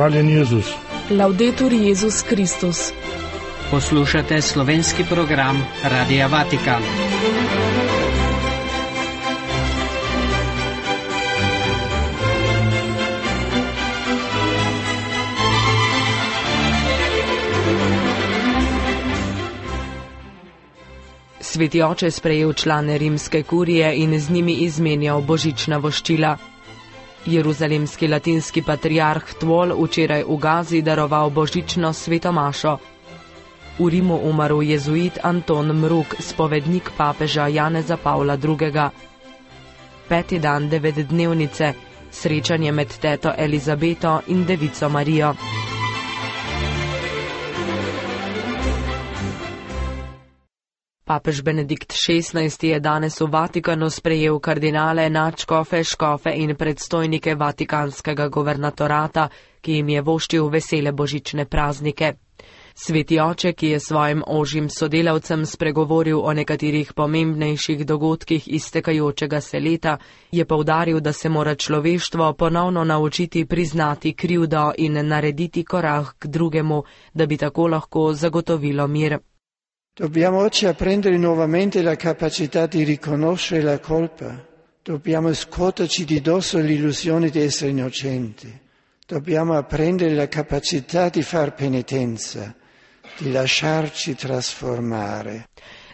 Hvaljen Jezus. Laudetur Jezus Kristus. Poslušate slovenski program Radia Vatikan. Sveti oče sprejel člane rimske kurije in z njimi izmenjal božična voščila. Jeruzalemski latinski patriarh Tvol včeraj v Gazi daroval božično sveto mašo. V Rimu umrl jezuit Anton Mruk, spovednik papeža Janeza Pavla II. 5. dan 9-dnevnice, srečanje med teto Elizabeto in devico Marijo. Papež Benedikt XVI je danes v Vatikanu sprejel kardinale, nadškofe, škofe in predstojnike vatikanskega guvernatorata, ki jim je voščil vesele božične praznike. Sveti oče, ki je svojim ožjim sodelavcem spregovoril o nekaterih pomembnejših dogodkih iztekajočega se leta, je poudaril, da se mora človeštvo ponovno naučiti priznati krivdo in narediti korak k drugemu, da bi tako lahko zagotovilo mir. Dobbiamo oggi apprendere nuovamente la capacità di riconoscere la colpa. Dobbiamo scuoterci di dosso l'illusione di essere innocenti. Dobbiamo apprendere la capacità di far penitenza, di lasciarci trasformare.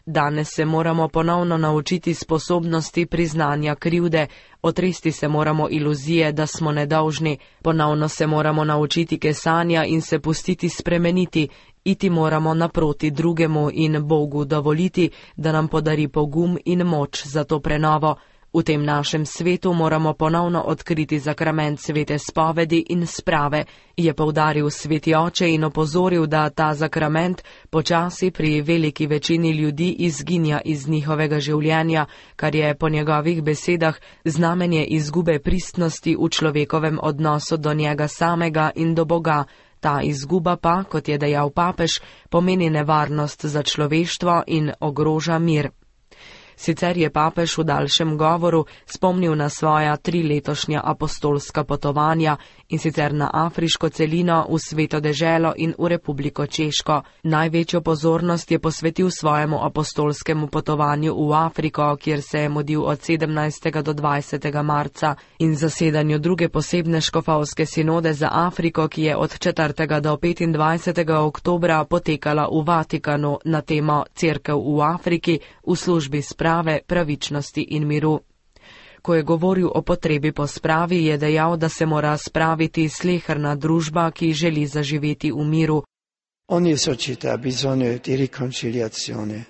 Danes se moramo ponovno naučiti sposobnosti priznanja krivde, otresti se moramo iluzije, da smo nedolžni, ponovno se moramo naučiti kesanja in se pustiti spremeniti, iti moramo naproti drugemu in Bogu dovoliti, da nam podari pogum in moč za to prenovo. V tem našem svetu moramo ponovno odkriti zakrament svete spovedi in sprave, je poudaril sveti oče in opozoril, da ta zakrament počasi pri veliki večini ljudi izginja iz njihovega življenja, kar je po njegovih besedah znamenje izgube pristnosti v človekovem odnosu do njega samega in do Boga. Ta izguba pa, kot je dejal papež, pomeni nevarnost za človeštvo in ogroža mir. Sicer je papež v daljšem govoru spomnil na svoja 3 letošnja apostolska potovanja, in sicer na afriško celino, v Sveto deželo in v Republiko Češko. Največjo pozornost je posvetil svojemu apostolskemu potovanju v Afriko, kjer se je mudil od 17. do 20. marca, in zasedanju druge posebne škofovske sinode za Afriko, ki je od 4. do 25. oktobra potekala v Vatikanu na temo Cerkev v Afriki v službi sprave, pravičnosti in miru. Ko je govoril o potrebi po spravi, je dejal, da se mora spraviti sleherna družba, ki želi zaživeti v miru. Ogni società ha bisogno di riconciliazione,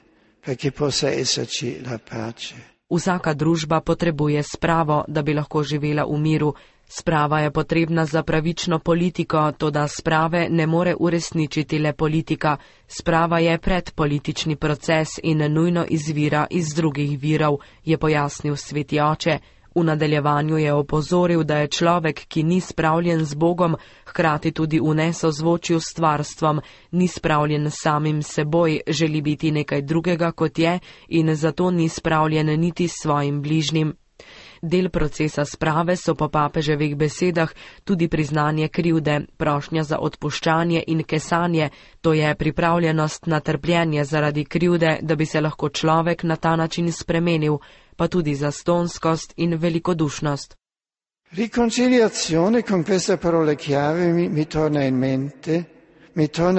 perché possa esserci la pace. Vsaka družba potrebuje spravo, da bi lahko živela v miru. Sprava je potrebna za pravično politiko, toda sprave ne more uresničiti le politika. Sprava je predpolitični proces in nujno izvira iz drugih virov, je pojasnil sveti oče. V nadaljevanju je opozoril, da je človek, ki ni spravljen z Bogom, hkrati tudi v nesozvočju s stvarstvom, ni spravljen samim seboj, želi biti nekaj drugega kot je in zato ni spravljen niti s svojim bližnjim. Del procesa sprave so po papeževih besedah tudi priznanje krivde, prošnja za odpuščanje in kesanje, to je pripravljenost na trpljenje zaradi krivde, da bi se lahko človek na ta način spremenil, pa tudi zastonskost in velikodušnost. Riconciliazione, con questa parola chiave mi torna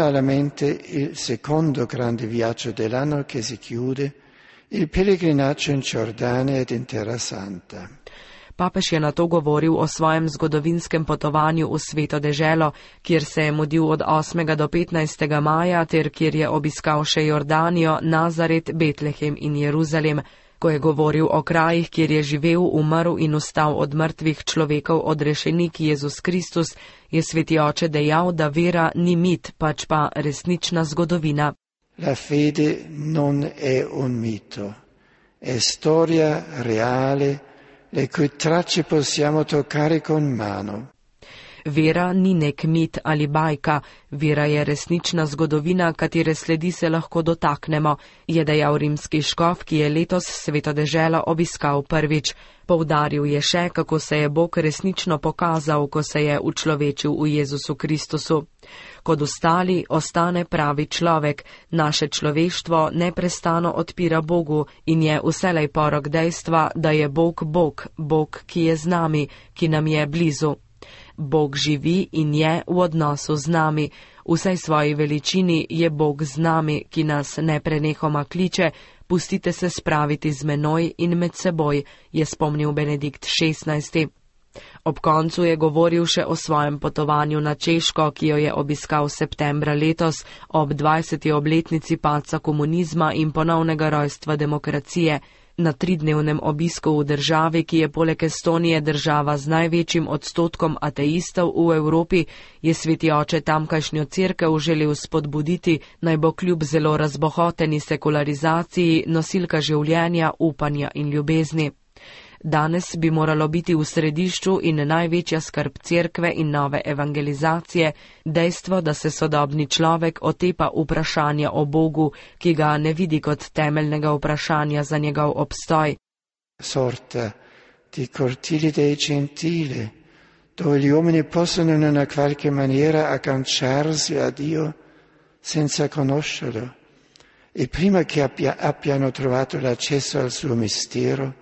alla mente il secondo grande viaggio dell'anno che si chiude, il pellegrinaggio in Giordania ed in Terra Santa. Papež je nato govoril o svojem zgodovinskem potovanju v Sveto deželo, kjer se je mudil od 8. do 15. maja, ter kjer je obiskal še Jordanijo, Nazaret, Betlehem in Jeruzalem. Ko je govoril o krajih, kjer je živel, umrl in vstal od mrtvih človekov odrešenik Jezus Kristus, je sveti oče dejal, da vera ni mit, pač pa resnična zgodovina. La fede non è un mito, è storia reale, le cui tracce possiamo toccare con mano. Vera ni nek mit ali bajka, vera je resnična zgodovina, katere sledi se lahko dotaknemo, je dejal rimski škof, ki je letos Sveto deželo obiskal prvič. Poudaril je še, kako se je Bog resnično pokazal, ko se je učlovečil v Jezusu Kristusu. Kot ostali ostane pravi človek, naše človeštvo neprestano odpira Bogu in je vselej porok dejstva, da je Bog Bog, Bog, ki je z nami, ki nam je blizu. Bog živi in je v odnosu z nami. V vsej svoji veličini je Bog z nami, ki nas neprenehoma kliče: pustite se spraviti z menoj in med seboj, je spomnil Benedikt XVI. Ob koncu je govoril še o svojem potovanju na Češko, ki jo je obiskal septembra letos ob 20. obletnici padca komunizma in ponovnega rojstva demokracije. Na 3-dnevnem obisku v državi, ki je poleg Estonije država z največjim odstotkom ateistov v Evropi, je sveti oče tamkajšnjo cerkev želel spodbuditi, naj bo kljub zelo razbohoteni sekularizaciji nosilka življenja, upanja in ljubezni. Danes bi moralo biti v središču in največja skrb cerkve in nove evangelizacije dejstvo, da se sodobni človek otepa vprašanja o Bogu, ki ga ne vidi kot temeljnega vprašanja za njegov obstoj. Sorta di cortili dei gentili, dove gli uomini possono in una qualche maniera agganciarsi a Dio senza conoscerlo, e prima che abbiano trovato l'accesso al suo mistero,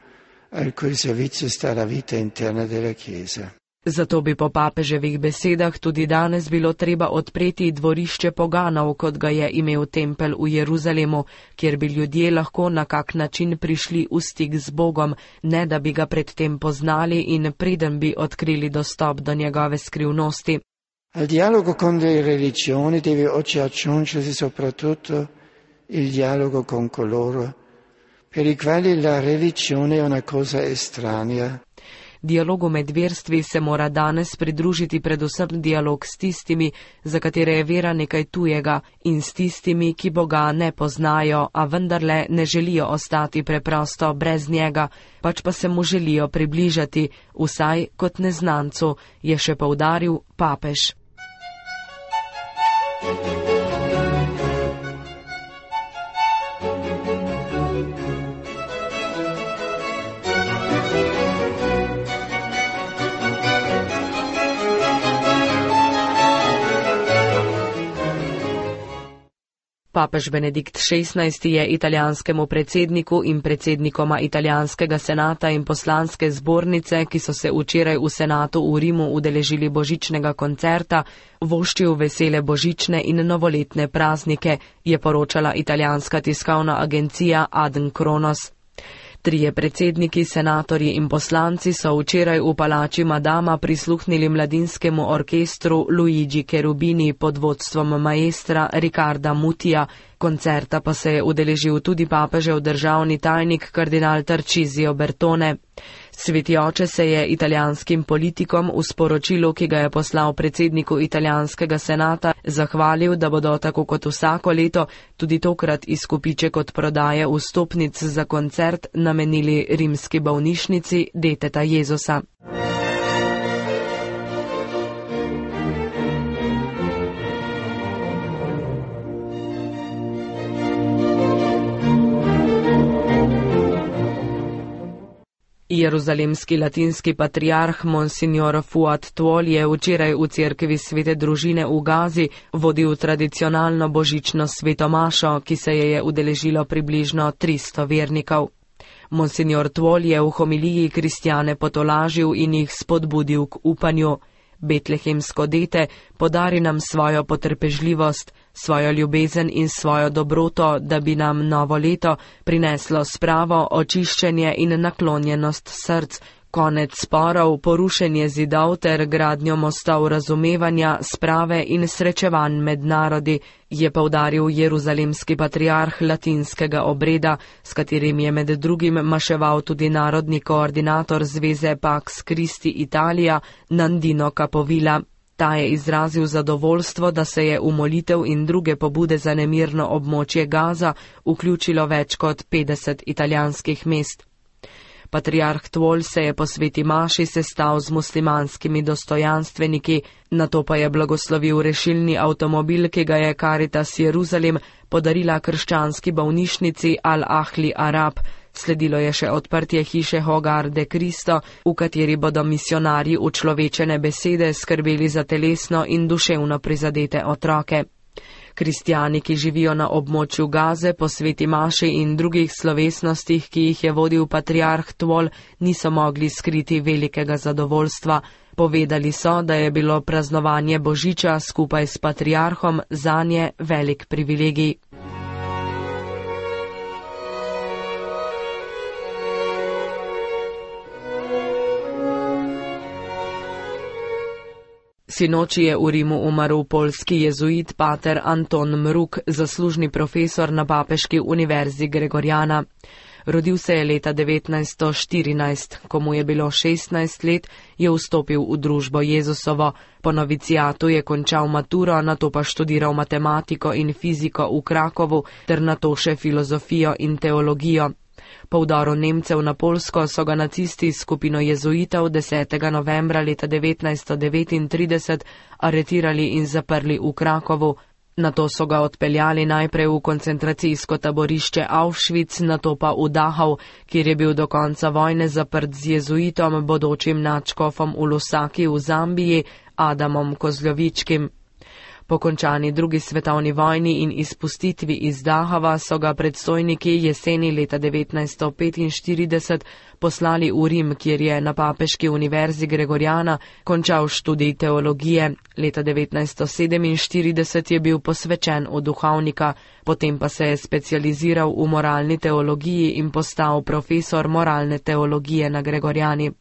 al cui servizio sta la vita interna della Chiesa. Zato bi po papeževih besedah tudi danes bilo treba odpreti dvorišče poganov, kot ga je imel tempelj v Jeruzalemu, kjer bi ljudje lahko na kak način prišli v stik z Bogom, ne da bi ga predtem poznali in preden bi odkrili dostop do njegove skrivnosti. Al dialogo con le religioni deve oggi aggiungersi soprattutto il dialogo con coloro per i quali la religione è una cosa estranea. Dialogu med verstvi se mora danes pridružiti predvsem dialog s tistimi, za katere je vera nekaj tujega, in s tistimi, ki Boga ne poznajo, a vendarle ne želijo ostati preprosto brez njega, pač pa se mu želijo približati, vsaj kot neznancu, je še poudaril papež. Papež Benedikt XVI je italijanskemu predsedniku in predsednikoma italijanskega senata in poslanske zbornice, ki so se včeraj v senatu v Rimu udeležili božičnega koncerta, voščil vesele božične in novoletne praznike, je poročala italijanska tiskovna agencija Adn Kronos. 3 predsedniki, senatorji in poslanci so včeraj v palači Madama prisluhnili mladinskemu orkestru Luigi Cherubini pod vodstvom maestra Riccarda Mutija. Koncerta pa se je udeležil tudi papežev državni tajnik kardinal Tarcisio Bertone. Sveti oče se je italijanskim politikom v sporočilu, ki ga je poslal predsedniku italijanskega senata, zahvalil, da bodo tako kot vsako leto tudi tokrat izkupiček od prodaje vstopnic za koncert namenili rimski bolnišnici Deteta Jezusa. Jeruzalemski latinski patriarh Monsignor Fuad Tuol je včeraj v cerkvi Svete družine v Gazi vodil tradicionalno božično svetomašo, ki se je udeležilo približno 300 vernikov. Monsignor Tuol je v homiliji kristjane potolažil in jih spodbudil k upanju. Betlehemsko dete podari nam svojo potrpežljivost, svojo ljubezen in svojo dobroto, da bi nam novo leto prineslo spravo, očiščenje in naklonjenost src, konec sporov, porušenje zidov ter gradnjo mostov razumevanja, sprave in srečevanj med narodi, je poudaril jeruzalemski patriarh latinskega obreda, s katerim je med drugim maševal tudi narodni koordinator zveze Pax Christi Italia Nandino Capovilla. Ta je izrazil zadovoljstvo, da se je v molitev in druge pobude za nemirno območje Gaza vključilo več kot 50 italijanskih mest. Patriarh Tvol se je po sveti maši sestal z muslimanskimi dostojanstveniki, nato pa je blagoslovil rešilni avtomobil, ki ga je Caritas Jeruzalem podarila krščanski bolnišnici Al-Ahli Arab. Sledilo je še odprtje hiše Hogar de Cristo, v kateri bodo misionarji učlovečene besede skrbeli za telesno in duševno prizadete otroke. Kristjani, ki živijo na območju Gaze, po sveti maši in drugih slovesnostih, ki jih je vodil patriarh Tvol, niso mogli skriti velikega zadovoljstva. Povedali so, da je bilo praznovanje Božiča skupaj s patriarhom zanje velik privilegij. Sinoči je v Rimu umrl poljski jezuit pater Anton Mruk, zaslužni profesor na papeški univerzi Gregoriana. Rodil se je leta 1914, ko mu je bilo 16 let, je vstopil v družbo Jezusovo. Po novicijatu je končal maturo, nato pa študiral matematiko in fiziko v Krakovu, ter nato še filozofijo in teologijo. Po vdoru Nemcev na Poljsko so ga nacisti s skupino jezuitov 10. novembra leta 1939 aretirali in zaprli v Krakovu. Nato so ga odpeljali najprej v koncentracijsko taborišče Auschwitz, nato pa v Dachau, kjer je bil do konca vojne zaprt z jezuitom, bodočim nadškofom v Lusaki v Zambiji, Adamom Kozlovičkim. Po končani drugi svetovni vojni in izpustitvi iz Dachava so ga predstojniki jeseni leta 1945 poslali v Rim, kjer je na papeški univerzi Gregoriana končal študij teologije. Leta 1947 je bil posvečen v duhovnika, potem pa se je specializiral v moralni teologiji in postal profesor moralne teologije na Gregoriani.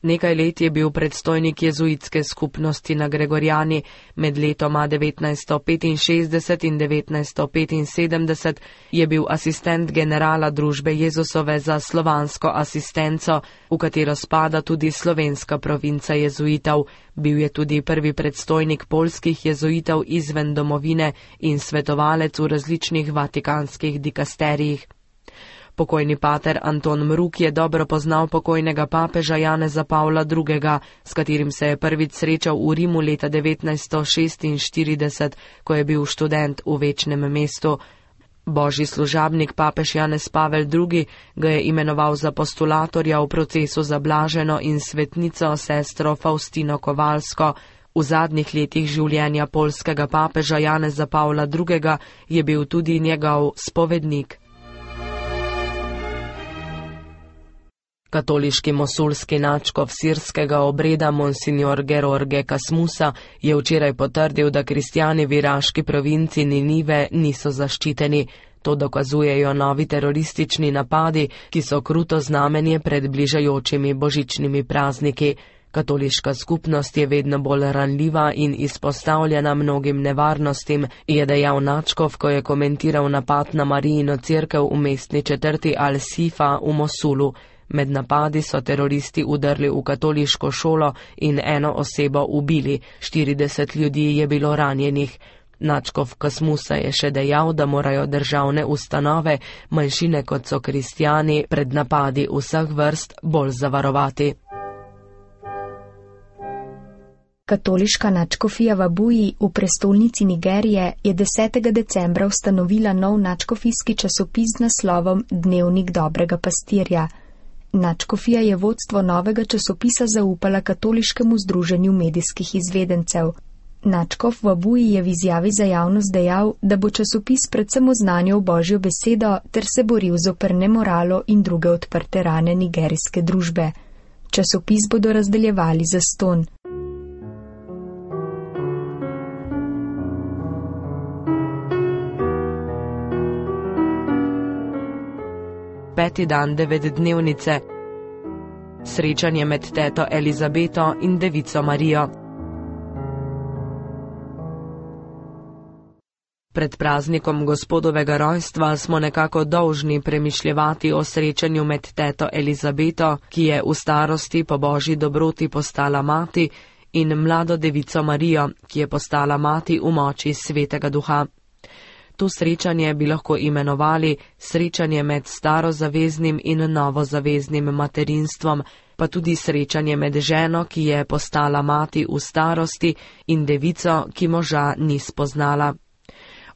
Nekaj let je bil predstojnik jezuitske skupnosti na Gregoriani, med letoma 1965 in 1975 je bil asistent generala družbe Jezusove za slovansko asistenco, v katero spada tudi slovenska provinca jezuitov. Bil je tudi prvi predstojnik poljskih jezuitov izven domovine in svetovalec v različnih vatikanskih dikasterijih. Pokojni pater Anton Mruk je dobro poznal pokojnega papeža Janeza Pavla II., s katerim se je prvič srečal v Rimu leta 1946, ko je bil študent v Večnem mestu. Božji služabnik papež Janez Pavel II. Ga je imenoval za postulatorja v procesu za blaženo in svetnico sestro Faustino Kovalsko. V zadnjih letih življenja poljskega papeža Janeza Pavla II. Je bil tudi njegov spovednik. Katoliški mosulski nadškof sirskega obreda Monsignor George Kasmusa je včeraj potrdil, da kristjani v iraški provinci Ninive niso zaščiteni. To dokazujejo novi teroristični napadi, ki so kruto znamenje pred bližajočimi božičnimi prazniki. Katoliška skupnost je vedno bolj ranljiva in izpostavljena mnogim nevarnostim, je dejal nadškof, ko je komentiral napad na Marijino cerkev v mestni četrti Al-Sifa v Mosulu. Med napadi so teroristi udrli v katoliško šolo in eno osebo ubili, 40 ljudi je bilo ranjenih. Nadškof Kasmusa je še dejal, da morajo državne ustanove, manjšine kot so kristjani, pred napadi vseh vrst bolj zavarovati. Katoliška nadškofija v Abuji v prestolnici Nigerije je 10. decembra ustanovila nov nadškofijski časopis z naslovom Dnevnik dobrega pastirja. Nadškofija je vodstvo novega časopisa zaupala Katoliškemu združenju medijskih izvedencev. Nadškof v Abuji je v izjavi za javnost dejal, da bo časopis predvsem oznanjal Božjo besedo ter se boril zoper nemoralo in druge odprte rane nigerijske družbe. Časopis bodo razdeljevali zastonj. Peti dan 9-dnevnice. Srečanje med teto Elizabeto in devico Marijo. Pred praznikom Gospodovega rojstva smo nekako dolžni premišljevati o srečanju med teto Elizabeto, ki je v starosti po Božji dobroti postala mati, in mlado devico Marijo, ki je postala mati v moči Svetega Duha. To srečanje bi lahko imenovali srečanje med starozaveznim in novozaveznim materinstvom, pa tudi srečanje med ženo, ki je postala mati v starosti, in devico, ki moža ni spoznala.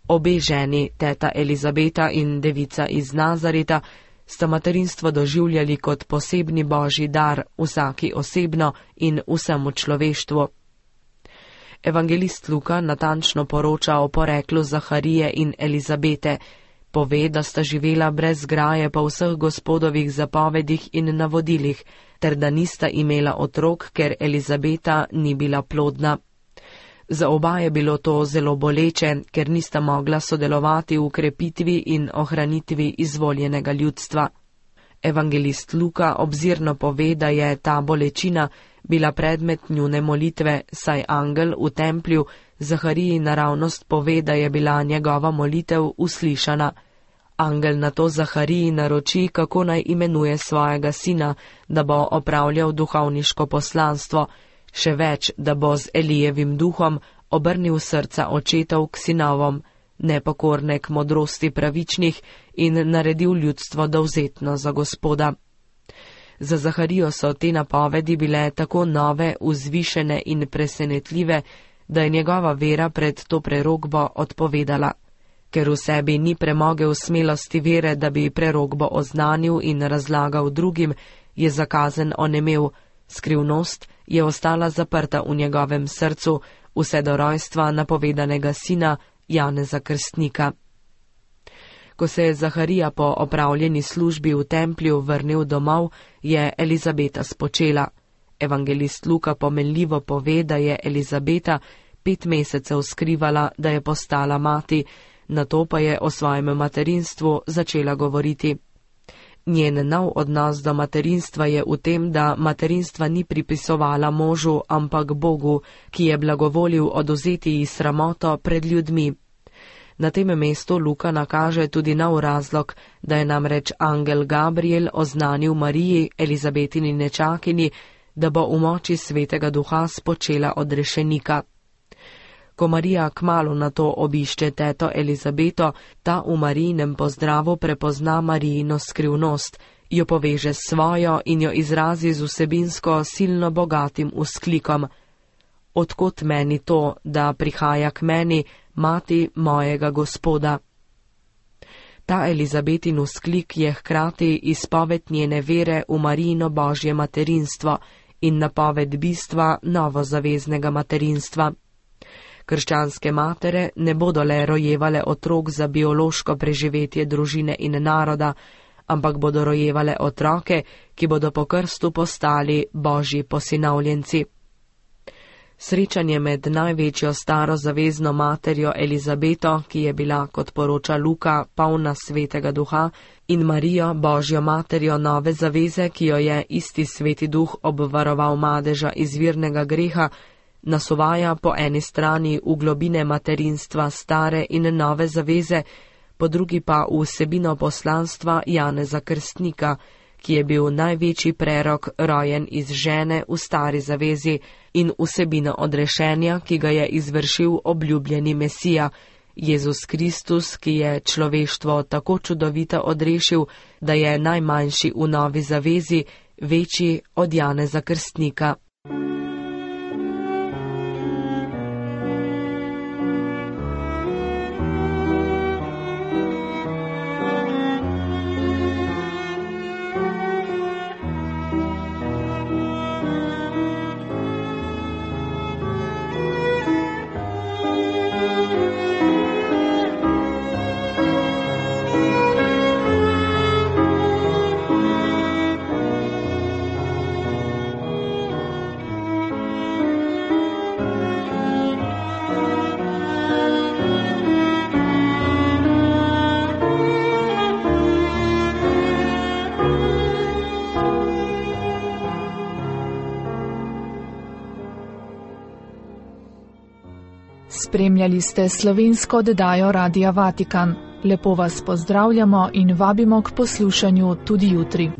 Obe ženi, teta Elizabeta in devica iz Nazareta, sta materinstvo doživljali kot posebni božji dar, vsaki osebno in vsemu človeštvu. Evangelist Luka natančno poroča o poreklu Zaharije in Elizabete. Pove, da sta živela brez graje po vseh Gospodovih zapovedih in navodilih, ter da nista imela otrok, ker Elizabeta ni bila plodna. Za oba je bilo to zelo boleče, ker nista mogla sodelovati v krepitvi in ohranitvi izvoljenega ljudstva. Evangelist Luka obzirno pove, da je ta bolečina bila predmet njune molitve, saj angel v templju Zahariji naravnost pove, da je bila njegova molitev uslišana. Angel nato Zahariji naroči, kako naj imenuje svojega sina, da bo opravljal duhovniško poslanstvo, še več, da bo z Elijevim duhom obrnil srca očetov k sinovom, nepokorne k modrosti pravičnih in naredil ljudstvo dovzetno za Gospoda. Za Zaharijo so te napovedi bile tako nove, vzvišene in presenetljive, da je njegova vera pred to prerokbo odpovedala. Ker v sebi ni premogel smelosti vere, da bi prerokbo oznanil in razlagal drugim, je zakazen onemel, skrivnost je ostala zaprta v njegovem srcu vse do rojstva napovedanega sina Janeza Krstnika. Ko se je Zaharija po opravljeni službi v templju vrnil domov, je Elizabeta spočela. Evangelist Luka pomenljivo pove, da je Elizabeta 5 mesecev skrivala, da je postala mati, nato pa je o svojem materinstvu začela govoriti. Njen nov odnos do materinstva je v tem, da materinstva ni pripisovala možu, ampak Bogu, ki je blagovolil odvzeti ji sramoto pred ljudmi. Na tem mestu Luka nakaže tudi nov razlog, da je namreč angel Gabriel oznanil Mariji, Elizabetini nečakini, da bo v moči svetega duha spočela odrešenika. Ko Marija kmalu na to obišče teto Elizabeto, ta v Marijinem pozdravu prepozna Marijino skrivnost, jo poveže s svojo in jo izrazi z vsebinsko silno bogatim vzklikom: Odkot meni to, da prihaja k meni mati mojega Gospoda? Ta Elizabetin vzklik je hkrati izpoved njene vere v Marijino božje materinstvo in napoved bistva novozaveznega materinstva. Krščanske matere ne bodo le rojevale otrok za biološko preživetje družine in naroda, ampak bodo rojevale otroke, ki bodo po krstu postali božji posinovljenci. Srečanje med največjo starozavezno materjo Elizabeto, ki je bila, kot poroča Luka, polna svetega duha, in Marijo, božjo materjo nove zaveze, ki jo je isti sveti duh obvaroval madeža izvirnega greha, nas uvaja po eni strani v globine materinstva stare in nove zaveze, po drugi pa v vsebino poslanstva Janeza Krstnika, ki je bil največji prerok rojen iz žene v stari zavezi, in vsebino odrešenja, ki ga je izvršil obljubljeni Mesija, Jezus Kristus, ki je človeštvo tako čudovito odrešil, da je najmanjši v novi zavezi večji od Janeza Krstnika. Spremljali ste slovensko oddajo Radia Vatikan. Lepo vas pozdravljamo in vabimo k poslušanju tudi jutri.